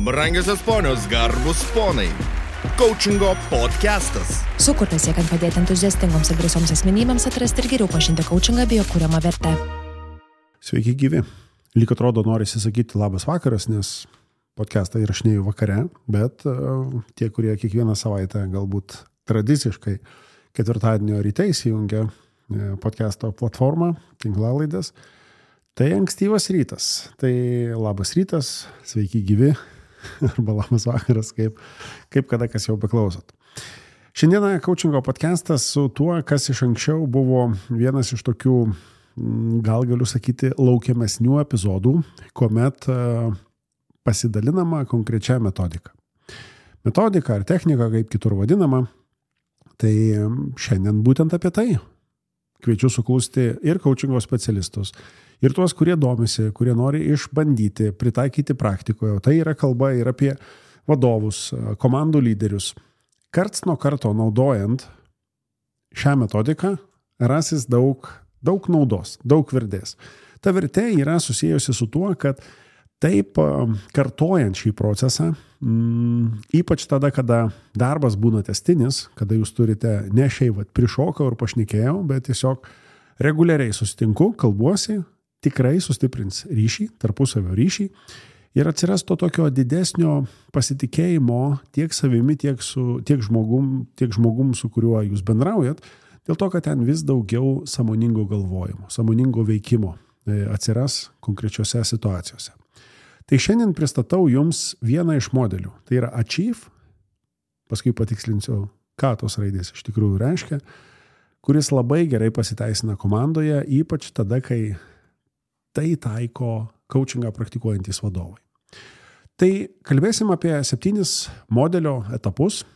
Brangiosios ponios, garbus ponai. Coachingo podcastas. Sukurtas siekiant padėti entuziastingoms ir drąsioms asmenybėms atrasti ir geriau pažinti coachingą bei jo kuriamą vertę. Sveiki gyvi. Lyg atrodo norisi sakyti labas vakaras, nes podcastą įrašinėju vakare, bet tie, kurie kiekvieną savaitę galbūt tradiciškai ketvirtadienio ryte įsijungia podcasto platformą, tinklalaidės, tai ankstyvas rytas. Tai labas rytas, sveiki gyvi, arba labas vakaras, kaip kada kas jau beklausot. Šiandieną coachingo podcastas su tuo, kas iš anksčiau buvo vienas iš tokių, gal galiu sakyti, laukiamesnių epizodų, kuomet pasidalinama konkrečia metodika. Metodika ar technika, kaip kitur vadinama, tai šiandien būtent apie tai. Kviečiu suklusti ir coachingo specialistus, ir tuos, kurie domisi, kurie nori išbandyti, pritaikyti praktikoje. Tai yra kalba ir apie vadovus, komandų lyderius. Karts nuo karto naudojant šią metodiką rasis daug naudos, daug vertės. Ta vertė yra susijusi su tuo, kad taip kartojant šį procesą, ypač tada, kada darbas būna tęstinis, kada jūs turite ne šiaip prišokau ir pašnekėjau, bet tiesiog reguliariai susitinku, kalbuosi, tikrai sustiprins ryšį, tarpusavio ryšį ir atsiras to tokio didesnio pasitikėjimo tiek savimi, tiek žmogum, su kuriuo jūs bendraujat, dėl to, kad ten vis daugiau sąmoningo galvojimo, sąmoningo veikimo atsiras konkrečiose situacijose. Tai šiandien pristatau jums vieną iš modelių. Tai yra Achieve, paskui patikslinsiu, ką tos raidės iš tikrųjų reiškia, kuris labai gerai pasiteisina komandoje, ypač tada, kai tai taiko coachingą praktikuojantys vadovai. Tai kalbėsim apie 7 modelio etapus,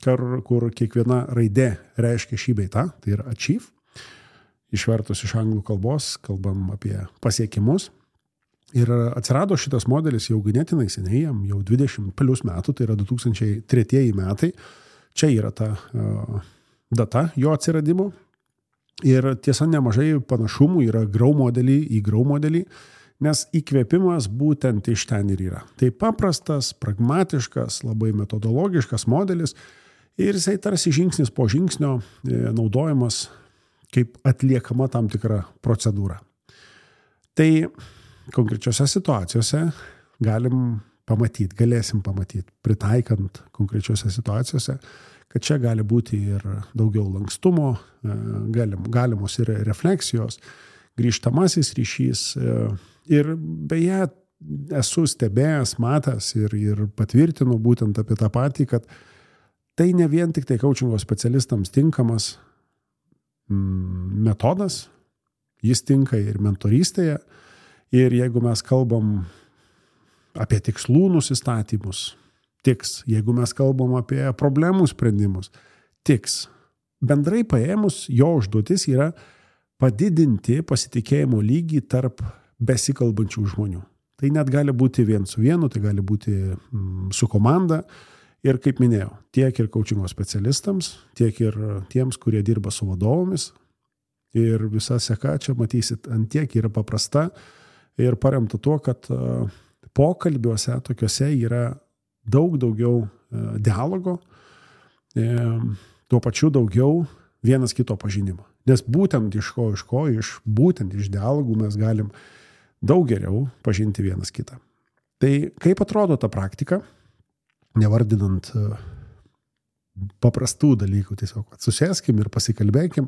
kur kiekviena raidė reiškia šį bei tą, tai yra Achieve. Išvertus iš anglų kalbos, kalbam apie pasiekimus. Ir atsirado šitas modelis jau ganėtinai seniai, jau 20 plus metų, tai yra 2003 metai. Čia yra ta data jo atsiradimo. Ir tiesa, nemažai panašumų yra Grow modelį, nes įkvėpimas būtent iš ten ir yra. Tai paprastas, pragmatiškas, labai metodologiškas modelis ir jisai tarsi žingsnis po žingsnio naudojamas kaip atliekama tam tikra procedūra. Tai konkrečiose situacijose galėsim pamatyti, pritaikant konkrečiose situacijose, kad čia gali būti ir daugiau lankstumo, galimos ir refleksijos, grįžtamasis ryšys. Ir beje, esu stebėjęs, matęs ir patvirtinu būtent apie tą patį, kad tai ne vien tik tai coachingo specialistams tinkamas metodas, jis tinka ir mentorystėje. Ir jeigu mes kalbam apie tikslų nusistatymus, tiks. Jeigu mes kalbam apie problemų sprendimus, tiks. Bendrai paėmus, jo užduotis yra padidinti pasitikėjimo lygį tarp besikalbančių žmonių. Tai net gali būti vien su vienu, tai gali būti su komanda. Ir kaip minėjau, tiek ir coachingo specialistams, tiek ir tiems, kurie dirba su vadovomis. Ir visa seka čia matysit, ant tiek yra paprasta ir paremta tuo, kad pokalbiuose tokiuose yra daug daugiau dialogo, tuo pačiu daugiau vienas kito pažinimo. Nes būtent būtent iš dialogų mes galim daug geriau pažinti vienas kitą. Tai kaip atrodo ta praktika, nevardinant paprastų dalykų, tiesiog susėskim ir pasikalbėkim.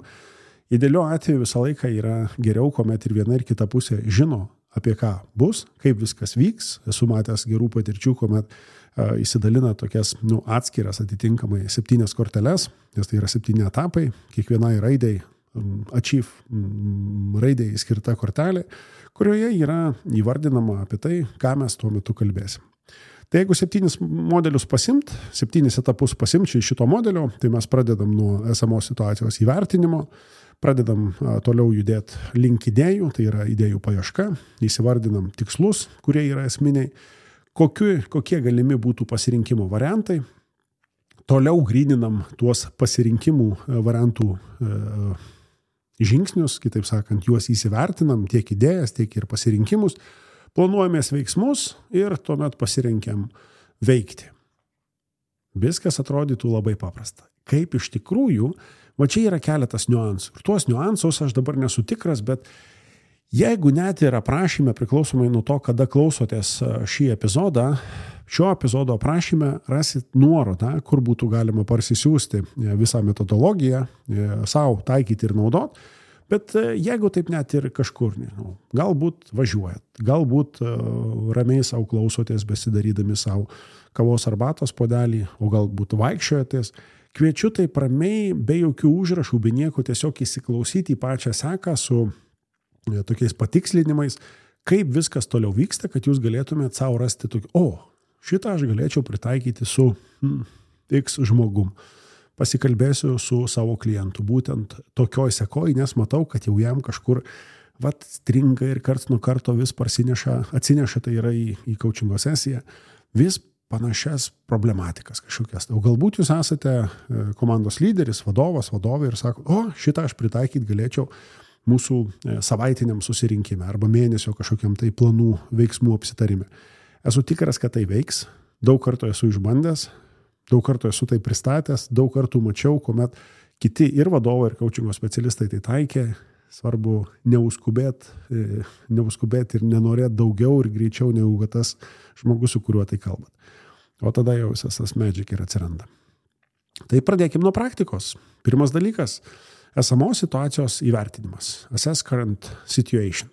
Idealiu atveju visą laiką yra geriau, kuomet ir viena ir kita pusė žino, apie ką bus, kaip viskas vyks. Esu matęs gerų patirčių, kuomet įsidalina tokias atskiras atitinkamai 7 korteles, nes tai yra 7 etapai, kiekvienai raidai, Achieve raidai skirta kortelė, kurioje yra įvardinama apie tai, ką mes tuo metu kalbėsim. Tai jeigu 7 modelius pasimt, 7 etapus pasimt šito modelio, tai mes pradedam nuo esamos situacijos įvertinimo, pradedam toliau judėti link idėjų, tai yra idėjų paieška, įsivardinam tikslus, kurie yra esminiai, kokie galimi būtų pasirinkimo variantai, toliau gryninam tuos pasirinkimų variantų žingsnius, kitaip sakant, juos įsivertinam, tiek idėjas, tiek ir pasirinkimus, planuojamės veiksmus ir tuomet pasirinkiam veikti. Viskas atrodytų labai paprasta. Kaip iš tikrųjų, va čia yra keletas niuansų. Ir tuos niuansus aš dabar nesu tikras, bet jeigu net ir aprašyme, priklausomai nuo to, kada klausotės šį epizodą, šio epizodo aprašyme rasit nuorodą, kur būtų galima parsisiųsti visą metodologiją, savo taikyti ir naudot. Bet jeigu taip net ir kažkur, nežinau, galbūt važiuojat, galbūt ramiai savo klausotės, besidarydami savo kavos arbatos puodelį, o galbūt vaikščiojatės, kviečiu taip ramiai, be jokių užrašų, be nieko, tiesiog įsiklausyti į pačią seką su tokiais patikslinimais, kaip viskas toliau vyksta, kad jūs galėtumėt savo rasti tokį, šitą aš galėčiau pritaikyti su X žmogum. Pasikalbėsiu su savo klientu, būtent tokioj sekoj, nes matau, kad jau jam kažkur stringa ir karts nuo karto vis atsineša, tai yra į coachingo sesiją, vis panašias problematikas kažkokias. O galbūt jūs esate komandos lyderis, vadovai ir sako, šitą aš pritaikyti galėčiau mūsų savaitiniam susirinkime arba mėnesio kažkokiam tai planų veiksmų apsitarime. Esu tikras, kad tai veiks, daug kartų esu išbandęs, daug kartų esu tai pristatęs, daug kartų mačiau, kuomet kiti ir vadovai, ir coachingo specialistai tai taikė. Svarbu neuskubėti ir nenorėti daugiau ir greičiau negu tas žmogus, su kuriuo tai kalbat. O tada jau visas tas magic ir atsiranda. Tai pradėkime nuo praktikos. Pirmas dalykas – esamos situacijos įvertinimas. Assess current situation.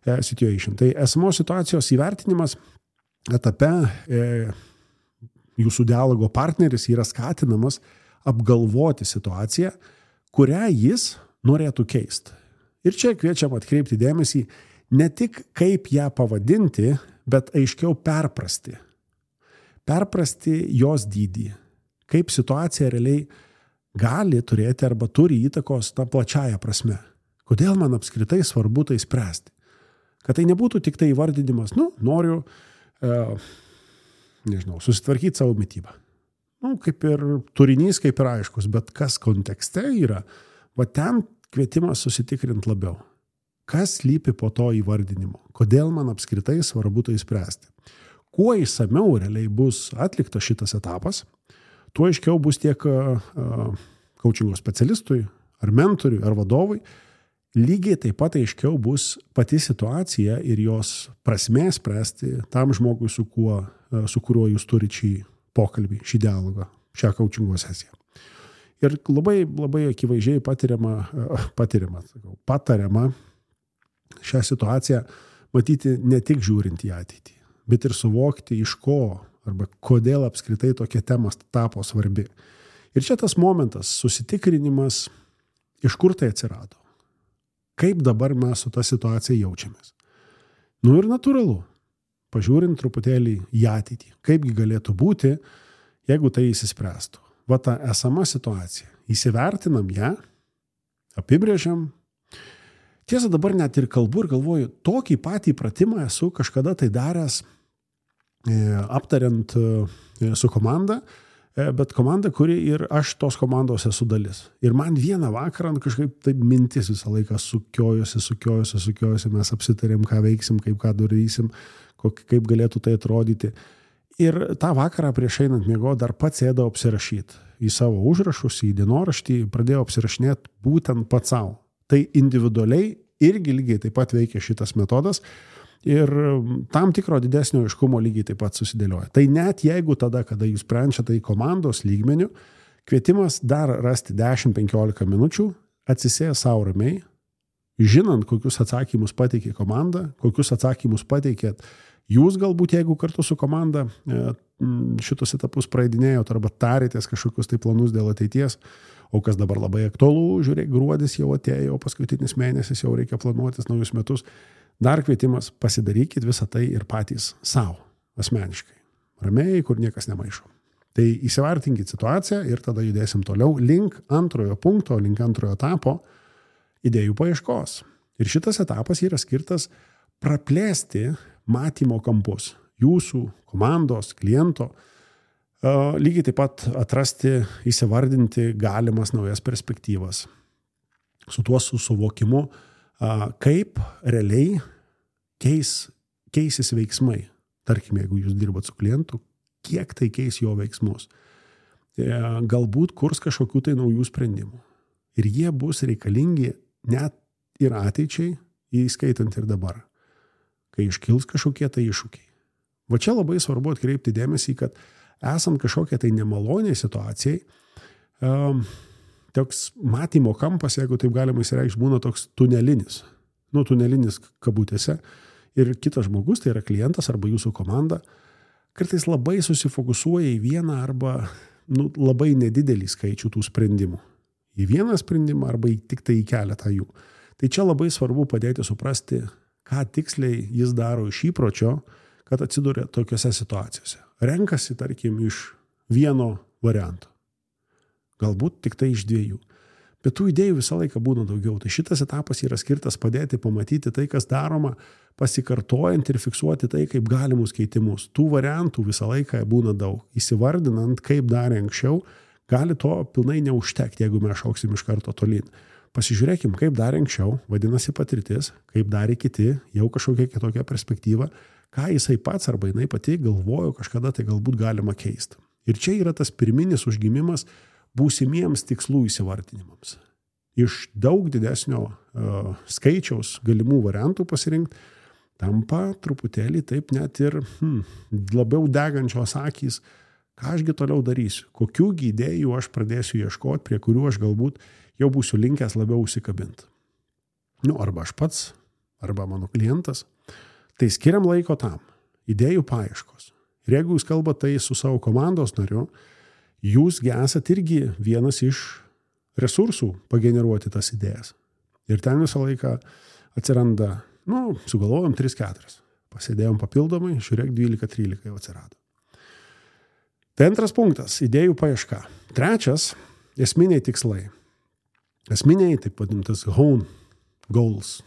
Tai esamos situacijos įvertinimas etape jūsų dialogo partneris yra skatinamas apgalvoti situaciją, kurią jis norėtų keisti. Ir čia kviečiam atkreipti dėmesį ne tik kaip ją pavadinti, bet aiškiau perprasti. Perprasti jos dydį. Kaip situacija realiai gali turėti arba turi įtakos tą plačiają prasme. Kodėl man apskritai svarbu tai spręsti? Kad tai nebūtų tik tai įvardinimas, noriu susitvarkyti savo mitybą. Kaip ir turinys, kaip ir aiškus, bet kas kontekste yra, ten kvietimas susitikrinti labiau. Kas slypi po to įvardinimo? Kodėl man apskritai svarbu tai spręsti? Kuo išsamiau realiai bus atliktas šitas etapas, tuo aiškiau bus tiek coachingo specialistui, ar mentoriui, ar vadovui, lygiai taip pat aiškiau bus pati situacija ir jos prasmė spręsti tam žmogui, su kuriuo jūs turite šį pokalbį, šį dialogą, šią coachingo sesiją. Ir labai, labai akivaizdžiai patariama šią situaciją matyti ne tik žiūrint į ateitį, bet ir suvokti iš ko arba kodėl apskritai tokia tema tapo svarbi. Ir čia tas momentas, susitikrinimas, iš kur tai atsirado. Kaip dabar mes su ta situacija jaučiamės. Ir natūralu, pažiūrint truputėlį į ateitį, kaipgi galėtų būti, jeigu tai įsispręstų. Ta esama situacija. Įsivertinam ją, apibrėžiam. Tiesa, dabar net ir kalbu ir galvoju, tokį patį pratimą esu kažkada tai daręs, aptariant su komanda, bet komanda, kuri ir aš tos komandos esu dalis. Ir man vieną vakarą kažkaip taip mintis visą laiką sukiojosi, mes apsitarėm, ką veiksim, ką darysim, kaip galėtų tai atrodyti. Ir tą vakarą prieš einant miego dar pats sėdau apsirašyti į savo užrašus, į dienoraštį, pradėjau apsirašinėti būtent pats savo. Tai individualiai irgi lygiai taip pat veikia šitas metodas ir tam tikro didesnio aiškumo lygiai taip pat susidėlioja. Tai net jeigu tada, kada jūs sprendžiate į komandos lygmenių, kvietimas dar rasti 10-15 minučių, atsisės savo ramiai, žinant, kokius atsakymus pateikė komanda, kokius atsakymus pateikėt jūs galbūt, jeigu kartu su komanda šitus etapus praeidinėjot arba tarėtės kažkokius tai planus dėl ateities, o kas dabar labai aktualu, žiūrėk, gruodis jau atėjo, paskutinis mėnesis jau reikia planuotis naujus metus. Dar kvietimas, pasidarykit visą tai ir patys savo, asmeniškai. Ramiai, kur niekas nemaišo. Tai įsivertinkit situaciją ir tada judėsim toliau link antrojo punkto, link antrojo etapo idėjų paieškos. Ir šitas etapas yra skirtas praplėsti matymo kampus jūsų, komandos, kliento, lygiai taip pat atrasti, įsivardinti galimas naujas perspektyvas. Su tuo suvokimu, kaip realiai keisis veiksmai. Tarkime, jeigu jūs dirbat su klientu, kiek tai keis jo veiksmus. Galbūt kurs kažkokių tai naujų sprendimų. Ir jie bus reikalingi net ir ateičiai, įskaitant ir dabar, kai iškils kažkokie tai iššūkiai. Va čia labai svarbu atkreipti dėmesį, kad esant kažkokiai tai nemaloniai situacijai, toks matymo kampas, jeigu taip galima įsireikšti, būna toks tunelinis. Tunelinis kabutėse. Ir kitas žmogus, tai yra klientas arba jūsų komanda, kartais labai susifokusuoja į vieną arba labai nedidelį skaičių tų sprendimų. Į vieną sprendimą arba tik tai į keletą jų. Tai čia labai svarbu padėti suprasti, ką tiksliai jis daro iš įpročio, kad atsiduria tokiose situacijose. Renkasi, tarkim, iš vieno varianto. Galbūt tik tai iš 2. Bet tų idėjų visą laiką būna daugiau. Tai šitas etapas yra skirtas padėti pamatyti tai, kas daroma, pasikartojant ir fiksuoti tai, kaip galimus keitimus. Tų variantų visą laiką būna daug. Įsivardinant, kaip darė anksčiau, gali to pilnai neužtekti, jeigu mes šauksim iš karto tolyn. Pasižiūrėkim, kaip darė anksčiau, vadinasi patirtis, kaip darė kiti, jau kažkokia kitokia perspektyva, ką jisai pats arba jinai pati galvojo kažkada tai galbūt galima keisti. Ir čia yra tas pirminis užgimimas būsimiems tikslų įsivardinimams. Iš daug didesnio skaičiaus galimų variantų pasirinkti tampa truputėlį taip net ir labiau degančios akys, ką ašgi toliau darysiu, kokiųgi idėjų aš pradėsiu ieškoti, prie kurių aš galbūt jau būsiu linkęs labiau užsikabinti. Arba aš pats, arba mano klientas. Tai skiriam laiko tam, idėjų paieškos. Ir jeigu jūs kalbate tai su savo komandos nariu, jūs esate irgi vienas iš resursų pageneruoti tas idėjas. Ir ten visą laiką atsiranda, sugalvojom 3-4. Pasėdėjom papildomai, žiūrėk, 12-13 jau atsirado. Tai antras punktas – idėjų paieška. Trečias – esminiai tikslai. Esminiai, taip vadintas, goals,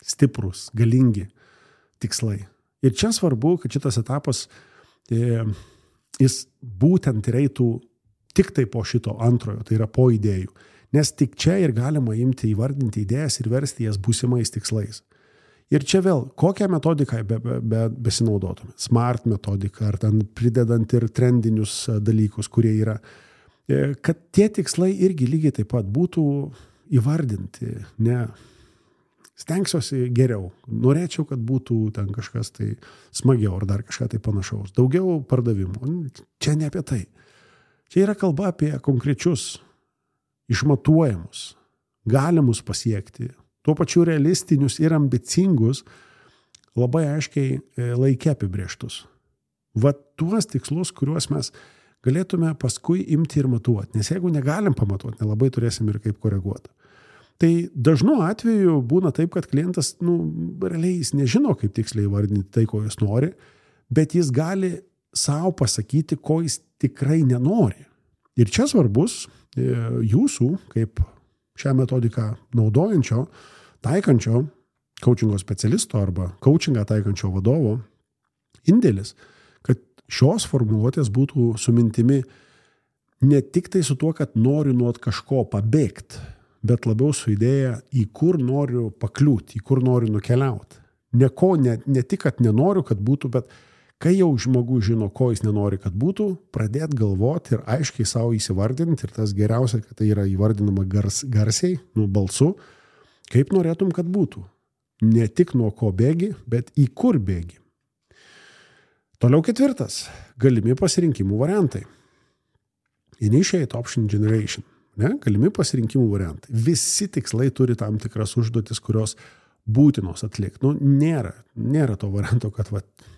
stiprus, galingi tikslai. Ir čia svarbu, kad šitas etapas jis būtent ir eitų tik tai po šito antrojo, tai yra po idėjų. Nes tik čia ir galima imti įvardinti idėjas ir versti jas būsimais tikslais. Ir čia vėl, kokią metodiką besinaudotume? Smart metodika, ar ten pridedant ir trendinius dalykus, kurie yra. Kad tie tikslai irgi lygiai taip pat būtų įvardinti, ne stengsiuosi geriau. Norėčiau, kad būtų ten kažkas tai smagiau ar dar kažką tai panašaus. Daugiau pardavimų. Čia ne apie tai. Čia yra kalba apie konkrečius, išmatuojamus, galimus pasiekti, tuo pačiu realistinius ir ambicingus, labai aiškiai laike apibrėžtus. Va tuos tikslus, kuriuos mes galėtume paskui imti ir matuoti. Nes jeigu negalim pamatuoti, nelabai turėsim ir kaip koreguoti. Tai dažnu atveju būna taip, kad klientas, realiai jis nežino, kaip tiksliai įvardinti tai, ko jis nori, bet jis gali savo pasakyti, ko jis tikrai nenori. Ir čia svarbus jūsų, kaip šią metodiką naudojančio, taikančio coachingo specialisto arba coachingą taikančio vadovo indėlis, kad šios formuluotės būtų su mintimi ne tik tai su tuo, kad noriu nuo kažko pabėgti, bet labiau su idėja, į kur noriu pakliūti, į kur noriu nukeliauti. Ne tik, kad nenoriu, kad būtų, bet kai jau žmogus žino, ko jis nenori, kad būtų, pradėti galvoti ir aiškiai savo įsivardinti, ir tas geriausia, kad tai yra įvardinama garsiai, balsu, kaip norėtum, kad būtų. Ne tik nuo ko bėgi, bet į kur bėgi. Toliau 4. Galimi pasirinkimų variantai. Initiate option generation. Galimi pasirinkimų variantai. Visi tikslai turi tam tikras užduotis, kurios būtinos atlikti. Nėra to varianto, kad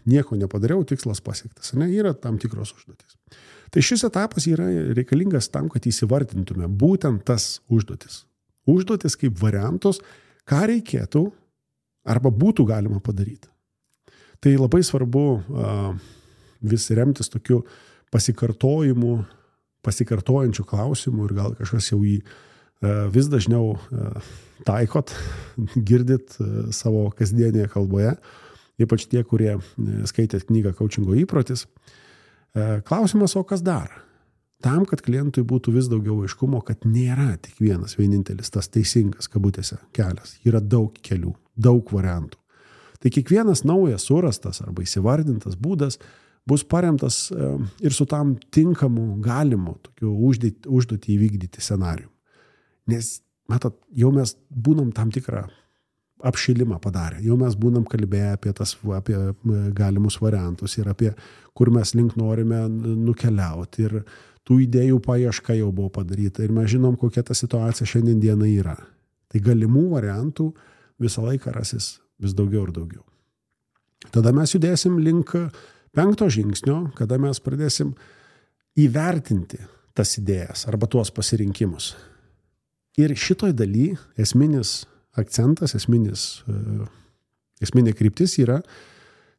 nieko nepadariau, tikslas pasiektas. Yra tam tikros užduotis. Tai šis etapas yra reikalingas tam, kad įsivardintume būtent tas užduotis. Užduotis kaip variantus, ką reikėtų arba būtų galima padaryti. Tai labai svarbu vis remtis tokiu pasikartojančių klausimų ir gal kažkas jau jį vis dažniau taikot, girdit savo kasdienėje kalboje, ypač tie, kurie skaitėt knygą Coachingo įprotis. Klausimas, o kas dar? Tam, kad klientui būtų vis daugiau aiškumo, kad nėra tik vienintelis tas teisingas kabutėse kelias. Yra daug kelių, daug variantų. Tai kiekvienas naujas surastas arba įsivardintas būdas bus paremtas ir su tam tinkamu galimu tokiu užduotį įvykdyti scenarijum. Nes, matot, jau mes būnam tam tikrą apšilimą padarę, jau mes būnam kalbėję apie galimus variantus ir apie kur mes link norime nukeliauti ir tų idėjų paieška jau buvo padaryta ir mes žinom, kokia ta situacija šiandien dieną yra. Tai galimų variantų visą laiką rasis vis daugiau ir daugiau. Tada mes judėsim link 5 žingsnio, kada mes pradėsim įvertinti tas idėjas arba tuos pasirinkimus. Ir šitoj daly esminis akcentas, esminė kryptis yra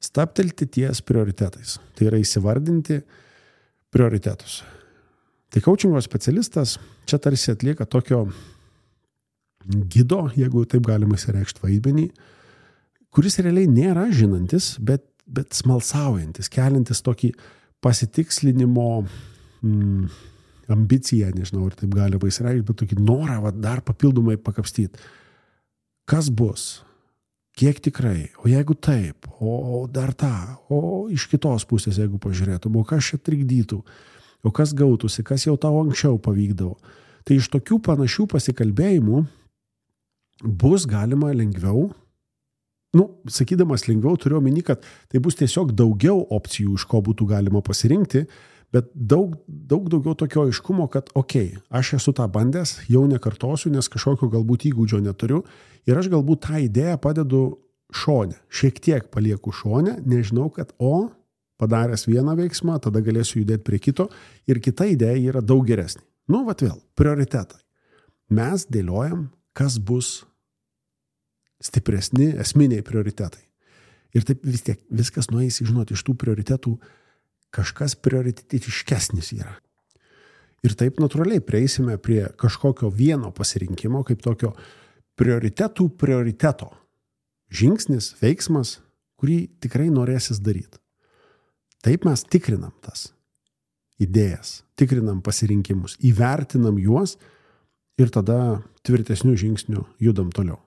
stabtelti ties prioritetais. Tai yra įsivardinti prioritetus. Tai coachingo specialistas čia tarsi atlieka tokio gido, jeigu taip galima įsireikšti vaidmenį, kuris realiai nėra žinantis, bet smalsaujantis, keliantis tokį pasitikslinimo ambiciją, nežinau, ar taip galima įsireikšti, bet tokį norą dar papildomai pakapstyti. Kas bus? Kiek tikrai? O jeigu taip? O dar tą? O iš kitos pusės, jeigu pažiūrėtum, o kas čia trikdytų? O kas gautųsi? Kas jau tau anksčiau pavykdavo? Tai iš tokių panašių pasikalbėjimų bus galima lengviau, sakydamas lengviau, turiu omeny, kad tai bus tiesiog daugiau opcijų, iš ko būtų galima pasirinkti, bet daug daugiau tokio aiškumo, kad aš esu tą bandęs, jau nekartosiu, nes kažkokio galbūt įgūdžio neturiu ir aš galbūt tą idėją padedu šone, šiek tiek palieku šone, nežinau, kad padaręs vieną veiksmą, tada galėsiu judėti prie kito ir kita idėja yra daug geresnė. Vėl, prioritetai. Mes dėliojam, kas bus stipresni esminiai prioritetai. Ir taip vis tiek viskas nueis, žinot, iš tų prioritetų kažkas prioritetiškesnis yra. Ir taip natūraliai prieisime prie kažkokio vieno pasirinkimo, kaip tokio prioriteto. Žingsnis, veiksmas, kurį tikrai norėsis daryti. Taip mes tikrinam tas idėjas, tikrinam pasirinkimus, įvertinam juos ir tada tvirtesnių žingsnių judam toliau.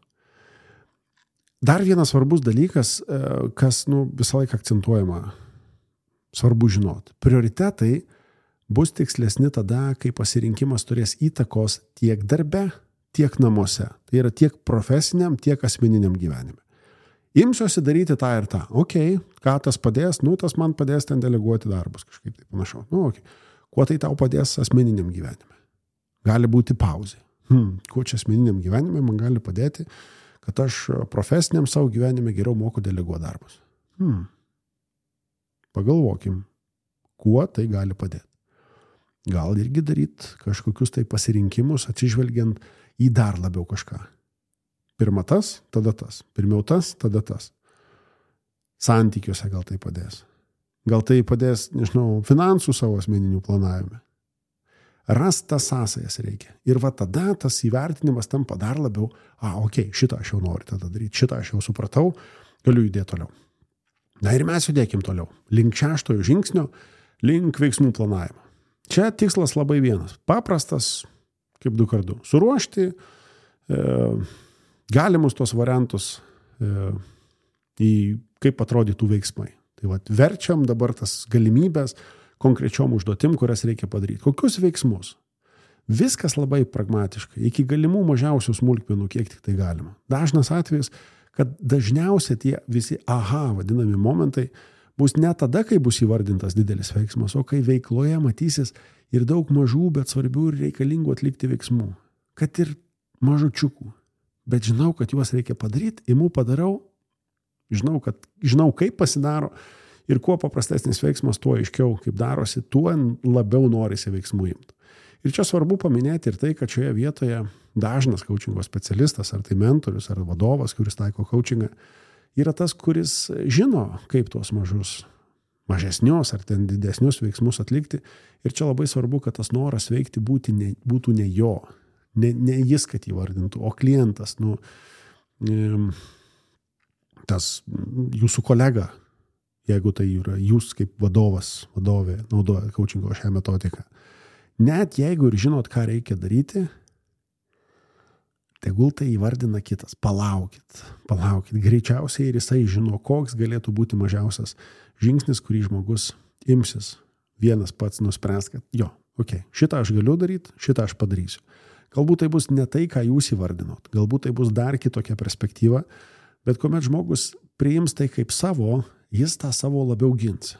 Dar vienas svarbus dalykas, kas visą laiką akcentuojama, svarbu žinot. Prioritetai bus tikslesni tada, kai pasirinkimas turės įtakos tiek darbe, tiek namuose. Tai yra tiek profesiniam, tiek asmeniniam gyvenime. Imsiuosi daryti tą ir tą. Ką tas padės? Tas man padės ten deleguoti darbus, kažkaip tai panašiau. Kuo tai tau padės asmeniniam gyvenime? Gali būti pauzė. Kuo čia asmeniniam gyvenime man gali padėti, kad aš profesiniam savo gyvenime geriau moku deleguoti darbus? Pagalvokim, kuo tai gali padėti. Gal irgi daryti kažkokius tai pasirinkimus, atsižvelgiant į dar labiau kažką. Pirma tas, tada tas. Pirmiau tas, tada tas. Santykiuose gal tai padės. Gal tai padės, nežinau, finansų savo asmeninių planavime. Rast tas sąsajas reikia. Ir tada tas įvertinimas tampa dar labiau, šitą aš jau noriu tada daryti, šitą aš jau supratau, galiu judėti toliau. Ir mes judėkim toliau. Link 6 žingsnio, link veiksmų planavimo. Čia tikslas labai vienas. Paprastas, kaip 2x2. Suruošti galimus tos variantus į kaip atrodytų veiksmai. Tai verčiam dabar tas galimybės konkrečiom užduotim, kurias reikia padaryti. Kokius veiksmus? Viskas labai pragmatiškai, iki galimų mažiausių smulkmenų, kiek tik tai galima. Dažnas atvejis, kad dažniausiai tie visi vadinami momentai bus ne tada, kai bus įvardintas didelis veiksmas, o kai veikloje matysis ir daug mažų, bet svarbių ir reikalingų atlikti veiksmų. Kad ir mažučiukų. Bet žinau, kad juos reikia padaryti, padarau, žinau, kaip pasidaro ir kuo paprastesnis veiksmas, tuo aiškiau, kaip darosi, tuo labiau norisi veiksmų imti. Ir čia svarbu paminėti ir tai, kad šioje vietoje dažnas coachingo specialistas, ar tai mentorius, ar vadovas, kuris taiko coachingą, yra tas, kuris žino, kaip tuos mažesnius ar ten didesnius veiksmus atlikti. Ir čia labai svarbu, kad tas noras veikti būtų ne jo. Ne jis, kad įvardintų, o klientas, tas jūsų kolega, jeigu tai yra jūs kaip vadovė naudoja coachingo šią metodiką. Net jeigu ir žinot, ką reikia daryti, tegul tai įvardina kitas. Palaukit. Greičiausiai ir jisai žino, koks galėtų būti mažiausias žingsnis, kurį žmogus imsis. Vienas pats nuspręs, kad šitą aš galiu daryti, šitą aš padarysiu. Galbūt tai bus ne tai, ką jūs įvardinot. Galbūt tai bus dar kitokia perspektyva, bet kuomet žmogus priims tai kaip savo, jis tą savo labiau gins.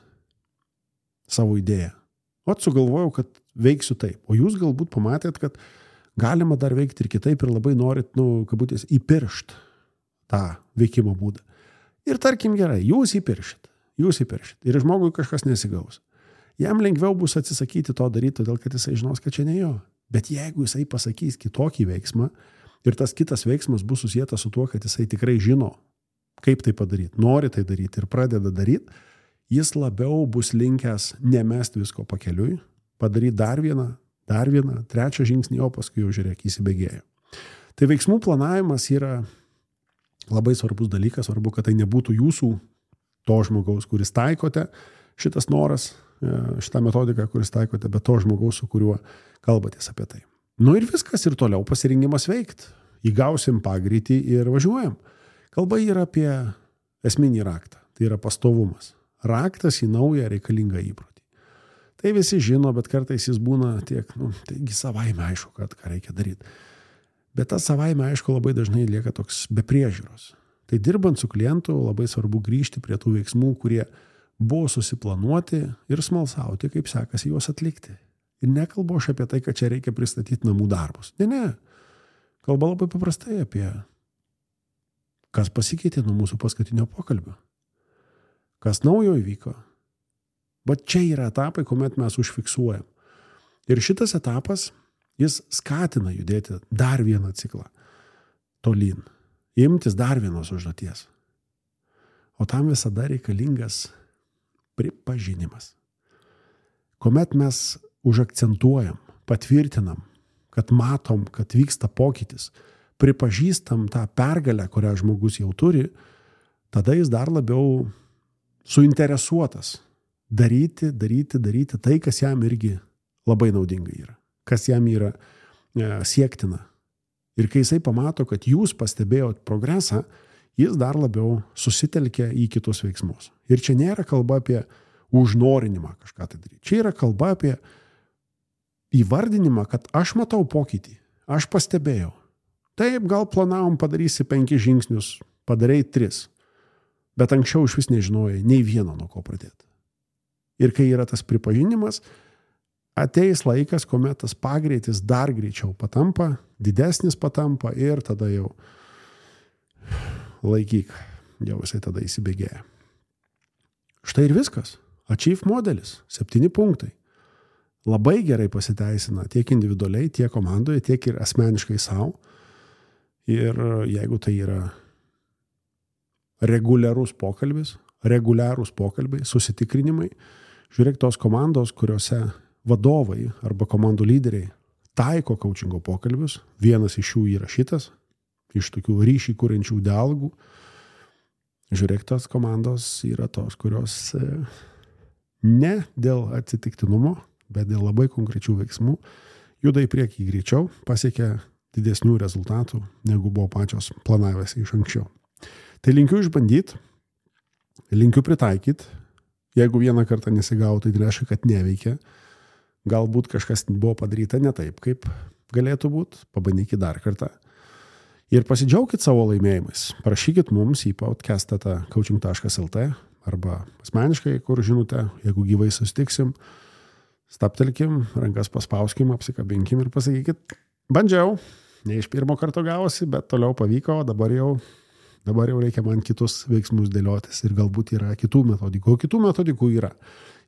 Savo idėją. Sugalvojau, kad veiksiu taip. O jūs galbūt pamatėt, kad galima dar veikti ir kitaip ir labai norit, kabutės, įpiršt tą veikimo būdą. Ir tarkim gerai, jūs įpiršit. Ir žmogui kažkas nesigaus. Jam lengviau bus atsisakyti to daryti, todėl kad jisai žinos, kad čia ne jo. Bet jeigu jisai pasakys kitokį veiksmą ir tas kitas veiksmas bus susietas su tuo, kad jisai tikrai žino, kaip tai padaryti, nori tai daryti ir pradeda daryti, jis labiau bus linkęs nemest visko pakeliui, padaryti dar vieną, trečią žingsnį, o paskui jau žiūrėk, įsibėgėjo. Tai veiksmų planavimas yra labai svarbus dalykas, svarbu, kad tai nebūtų jūsų to žmogaus, kuris taikote šitas noras, šitą metodiką, kuris taikote, bet to žmogaus, su kuriuo kalbatės apie tai. Ir viskas, ir toliau pasirinkimas veikti. Įgausim pagreitį ir važiuojam. Kalba yra apie esminį raktą. Tai yra pastovumas. Raktas į naują reikalingą įprotį. Tai visi žino, bet kartais jis būna tiek, taigi savaime aišku, ką reikia daryti. Bet tas savaime aišku labai dažnai lieka toks be priežiūros. Tai dirbant su klientu labai svarbu grįžti prie tų veiksmų, kurie buvo susiplanuoti ir smalsauti, kaip sekasi juos atlikti. Ir nekalbu aš apie tai, kad čia reikia pristatyti namų darbus. Ne. Kalba labai paprastai apie kas pasikeitė nuo mūsų paskutinio pokalbio. Kas naujo įvyko. Bet čia yra etapai, kuomet mes užfiksuojam. Ir šitas etapas, jis skatina judėti dar vieną ciklą tolyn. Imtis dar vienos užduoties. O tam visada reikalingas pripažinimas. Kuomet mes užakcentuojam, patvirtinam, kad matom, kad vyksta pokytis, pripažįstam tą pergalę, kurią žmogus jau turi, tada jis dar labiau suinteresuotas daryti tai, kas jam irgi labai naudinga yra, kas jam yra siektina. Ir kai jisai pamato, kad jūs pastebėjot progresą, jis dar labiau susitelkia į kitus veiksmus. Ir čia nėra kalba apie užnorinimą kažką tai daryti. Čia yra kalba apie įvardinimą, kad aš matau pokytį, aš pastebėjau. Taip, gal planavom padarysi 5 žingsnius, padarei 3, bet anksčiau iš vis nežinojai nei vieno nuo ko pradėti. Ir kai yra tas pripažinimas, ateis laikas, kuomet tas pagreitis dar greičiau patampa, didesnis patampa ir tada jau laikyk, jau jisai tada įsibėgėja. Štai ir viskas. Achieve modelis, 7 punktai. Labai gerai pasiteisina tiek individualiai, tiek komandoje, tiek ir asmeniškai savo. Ir jeigu tai yra reguliarūs pokalbiai, susitikrinimai, žiūrėk tos komandos, kuriuose vadovai arba komandų lyderiai taiko coachingo pokalbius, vienas iš jų yra šitas, iš tokių ryšį kuriančių dialogų. Žiūrėk, tos komandos yra tos, kurios ne dėl atsitiktinumo, bet dėl labai konkrečių veiksmų juda į priekį greičiau, pasiekia didesnių rezultatų, negu buvo pačios planavęsi iš anksčiau. Tai linkiu išbandyti, linkiu pritaikyti. Jeigu vieną kartą nesigautų, tai reiškia, kad neveikia. Galbūt kažkas buvo padaryta ne taip, kaip galėtų būti. Pabandykit dar kartą. Ir pasidžiaukit savo laimėjimais. Parašykit mums į podcast@coaching.lt arba asmeniškai, kur žinote, jeigu gyvai susitiksim, staptelkim, rankas paspauskim, apsikabinkim ir pasakykit, bandžiau, ne iš pirmo karto gavosi, bet toliau pavyko, dabar jau reikia man kitus veiksmus dėliotis ir galbūt yra kitų metodikų. O kitų metodikų yra.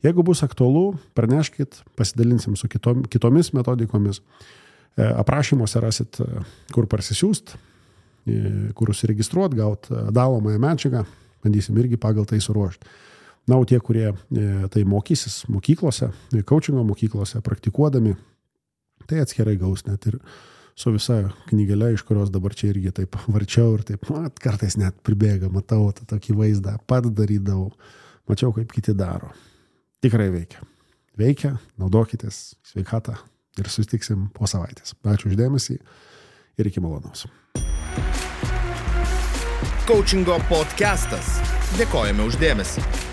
Jeigu bus aktualu, praneškit, pasidalinsim su kitomis metodikomis. Aprašymuose rasit, kur parsisiųst, kur užsiregistruot, gaut dalomąją medžiagą, bandysim irgi pagal tai suruošti. Na, o tie, kurie tai mokysis mokyklose, coachingo mokyklose, praktikuodami, tai atskirai gaus net ir su visa knygelė, iš kurios dabar čia irgi taip varčiau ir taip, kartais net pribėga, matau tą tokį vaizdą, pats darydavau, mačiau, kaip kiti daro. Tikrai veikia. Veikia, naudokitės, sveikatą ir susitiksim po savaitės. Ačiū už dėmesį ir iki malonaus. Coachingo podcastas. Dėkojame už dėmesį.